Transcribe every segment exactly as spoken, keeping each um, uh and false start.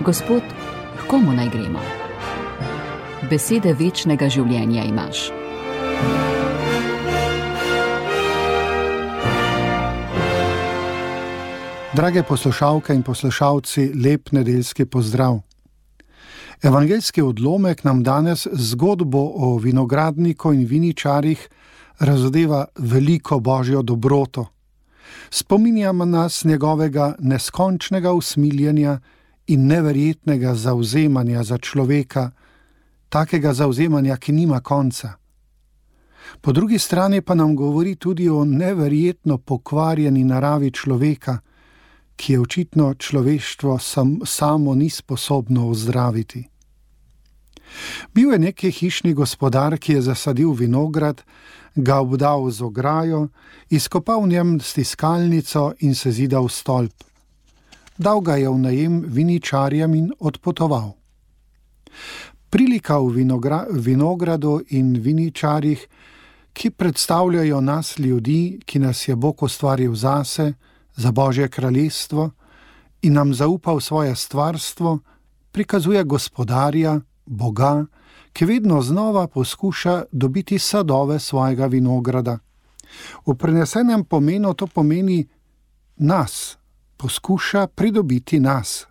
Gospod, k komu naj gremo? Besede večnega življenja imaš. Drage poslušalke in poslušalci, lep nedeljski pozdrav. Evangeljski odlomek nam danes zgodbo o vinogradniku in viničarjih razodeva veliko božjo dobroto. Spominjamo nas njegovega neskončnega usmiljenja in neverjetnega zavzemanja za človeka, takega zavzemanja, ki nima konca. Po drugi strani pa nam govori tudi o neverjetno pokvarjeni naravi človeka, ki je očitno človeštvo sam, samo ni sposobno ozdraviti. Bil je neki hišni gospodar, ki je zasadil vinograd, ga obdal z ograjo, izkopal v njem stiskalnico in se zidal stolp. Dal ga je v najem viničarjem in odpotoval. Prilika v vinogra- vinogradu in viničarjih, ki predstavljajo nas ljudi, ki nas je Bog ustvaril zase, za Božje kraljestvo in nam zaupal svoje stvarstvo, prikazuje gospodarja, Boga, ki vedno znova poskuša dobiti sadove svojega vinograda. V prenesenem pomenu to pomeni nas, poskuša pridobiti nas.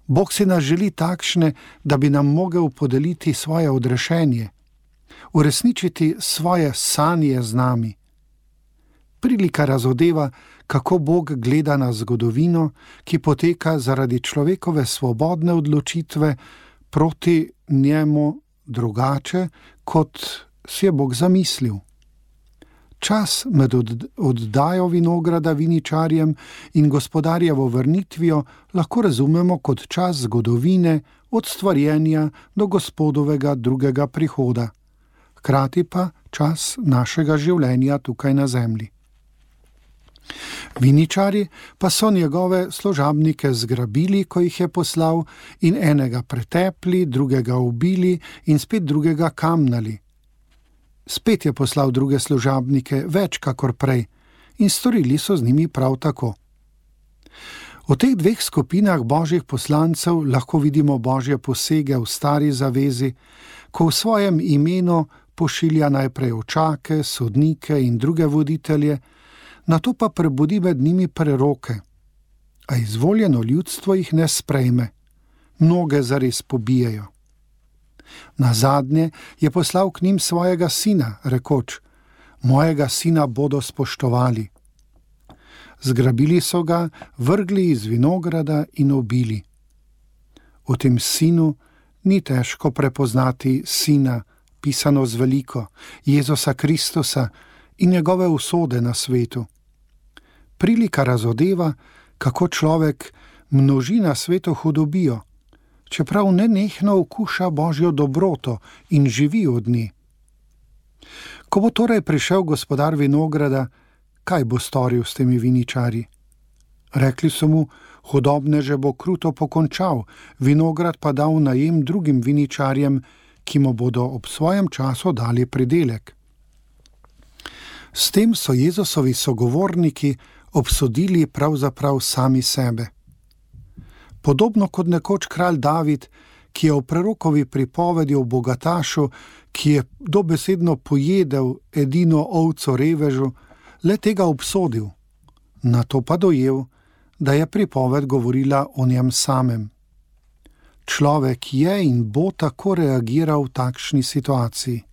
Bog si nas želi takšne, da bi nam mogel podeliti svoje odrešenje, uresničiti svoje sanje z nami. Prilika razodeva, kako Bog gleda na zgodovino, ki poteka zaradi človekove svobodne odločitve proti njemu drugače, kot si je Bog zamislil. Čas med oddajo vinograda viničarjem in gospodarjevo vrnitvijo lahko razumemo kot čas zgodovine od stvarjenja do Gospodovega drugega prihoda, hkrati pa čas našega življenja tukaj na zemlji. Viničari pa so njegove služabnike zgrabili, ko jih je poslal, in enega pretepli, drugega ubili in spet drugega kamnali. Spet je poslal druge služabnike, več kakor prej, in storili so z njimi prav tako. V teh dveh skupinah božjih poslancev lahko vidimo božje posege v stari zavezi, ko v svojem imenu pošilja najprej očake, sodnike in druge voditelje, nato pa prebudi med njimi preroke, a izvoljeno ljudstvo jih ne sprejme, mnoge zares pobijejo. Nazadnje je poslal k njim svojega sina, rekoč: mojega sina bodo spoštovali. Zgrabili so ga, vrgli iz vinograda in ubili. V tem sinu ni težko prepoznati sina, pisano z veliko, Jezusa Kristusa in njegove usode na svetu. Prilika razodeva, kako človek množi na svetu hudobijo, čeprav nenehno okuša božjo dobroto in živi od nje. Ko bo torej prišel gospodar vinograda, kaj bo storil s temi viničarji? Rekli so mu: hudobneže bo kruto pokončal, vinograd pa dal najem drugim viničarjem, ki mu bodo ob svojem času dali pridelek. S tem so Jezusovi sogovorniki obsodili pravzaprav sami sebe. Podobno kot nekoč kralj David, ki je v prerokovi pripovedi o bogatašu, ki je dobesedno pojedel edino ovco revežu, le tega obsodil, nato pa dojel, da je pripoved govorila o njem samem. Človek je in bo tako reagiral v takšni situaciji.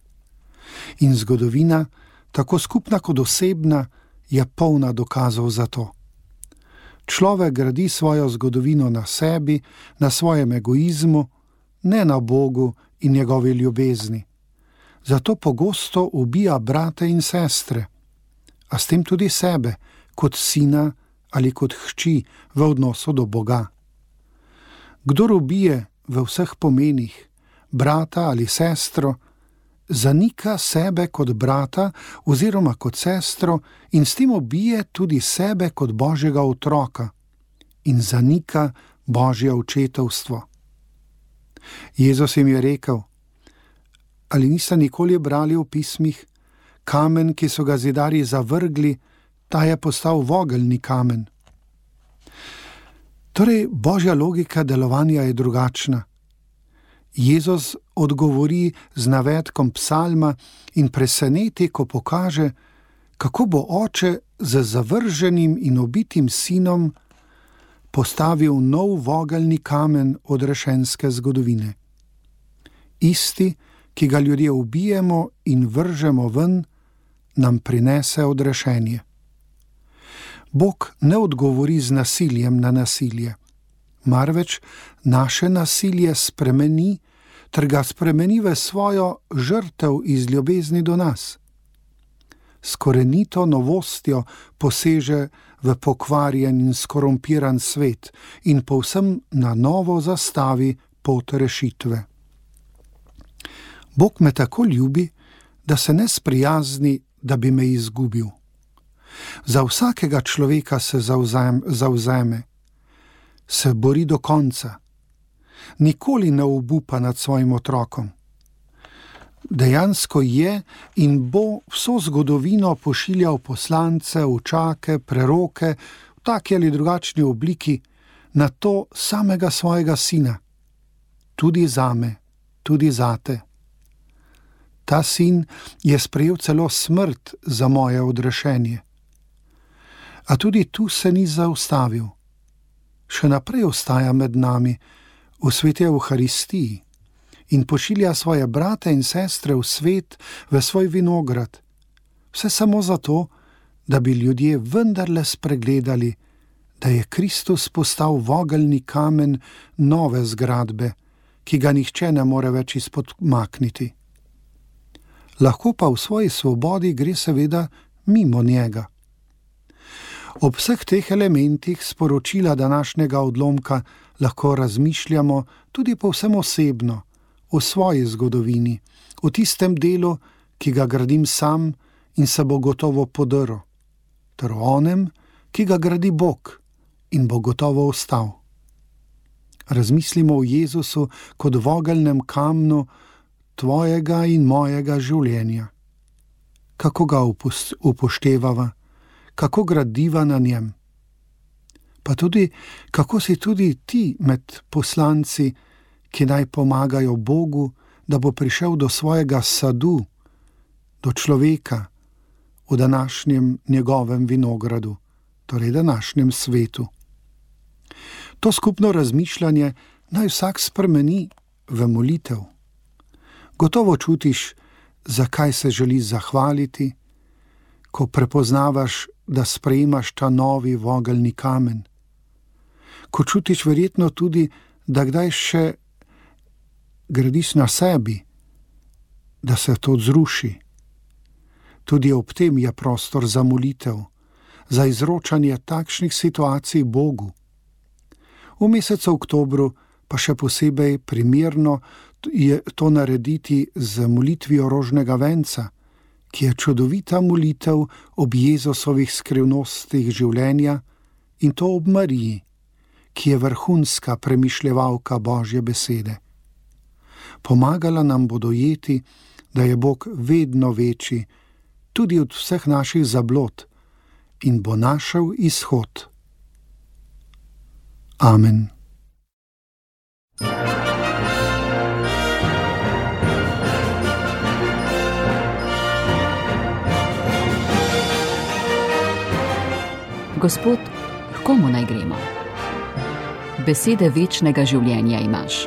In zgodovina, tako skupna kot osebna, je polna dokazov za to. Človek gradi svojo zgodovino na sebi, na svojem egoizmu, ne na Bogu in njegovi ljubezni. Zato pogosto ubija brate in sestre, a s tem tudi sebe, kot sina ali kot hči v odnosu do Boga. Kdor ubije v vseh pomenih brata ali sestro, zanika sebe kot brata oziroma kot sestro in s tem ubije tudi sebe kot Božjega otroka in zanika Božje očetovstvo. Jezus jim je rekel: ali niste nikoli brali v pismih, kamen, ki so ga zidarji zavrgli, ta je postal vogelni kamen. Torej, božja logika delovanja je drugačna. Jezus odgovori z navedkom psalma in preseneti, ko pokaže, kako bo oče z zavrženim in ubitim sinom postavil nov vogelni kamen odrešenske zgodovine. Isti, ki ga ljudje ubijemo in vržemo ven, nam prinese odrešenje. Bog ne odgovori z nasiljem na nasilje, marveč naše nasilje spremeni, ter ga spremeni v svojo žrtev iz ljubezni do nas. S korenito novostjo poseže v pokvarjen in skorumpiran svet in povsem na novo zastavi pot rešitve. Bog me tako ljubi, da se ne sprijazni, da bi me izgubil. Za vsakega človeka se zavzeme, se bori do konca, nikoli ne obupa nad svojim otrokom. Dejansko je in bo vso zgodovino pošiljal poslance, učake, preroke v taki ali drugačni obliki na to samega svojega sina, tudi zame, tudi zate. Ta sin je sprejel celo smrt za moje odrešenje. A tudi tu se ni zaustavil. Še naprej ostaja med nami v sveti Evharistiji in pošilja svoje brate in sestre v svet, v svoj vinograd. Vse samo zato, da bi ljudje vendarle spregledali, da je Kristus postal vogelni kamen nove zgradbe, ki ga nihče ne more več izpodmakniti. Lahko pa v svoji svobodi gre seveda mimo njega. Ob vseh teh elementih sporočila današnjega odlomka lahko razmišljamo tudi povsem osebno, o svoji zgodovini, o tistem delu, ki ga gradim sam in se bo gotovo podrl, ter o onem, ki ga gradi Bog in bo gotovo ostal. Razmislimo o Jezusu kot vogelnem kamnu tvojega in mojega življenja. Kako ga upoštevava, kako gradiva na njem. Pa tudi, kako si tudi ti med poslanci, ki naj pomagajo Bogu, da bo prišel do svojega sadu, do človeka v današnjem njegovem vinogradu, torej današnjem svetu. To skupno razmišljanje naj vsak spremeni v molitev. Gotovo čutiš, zakaj se želi zahvaliti, ko prepoznavaš, da sprejemaš ta novi vogelni kamen. Ko čutiš verjetno tudi, da kdaj še gradiš na sebi, da se to zruši. Tudi ob tem je prostor za molitev, za izročanje takšnih situacij Bogu. V mesecu oktobru pa še posebej primerno je to narediti z molitvijo rožnega venca, ki je čudovita molitev ob Jezusovih skrivnostih življenja, in to ob Mariji, ki je vrhunska premišljevalka Božje besede. Pomagala nam bo dojeti, da je Bog vedno večji, tudi od vseh naših zablod, in bo našel izhod. Amen. Gospod, h komu naj gremo? Besede večnega življenja imaš.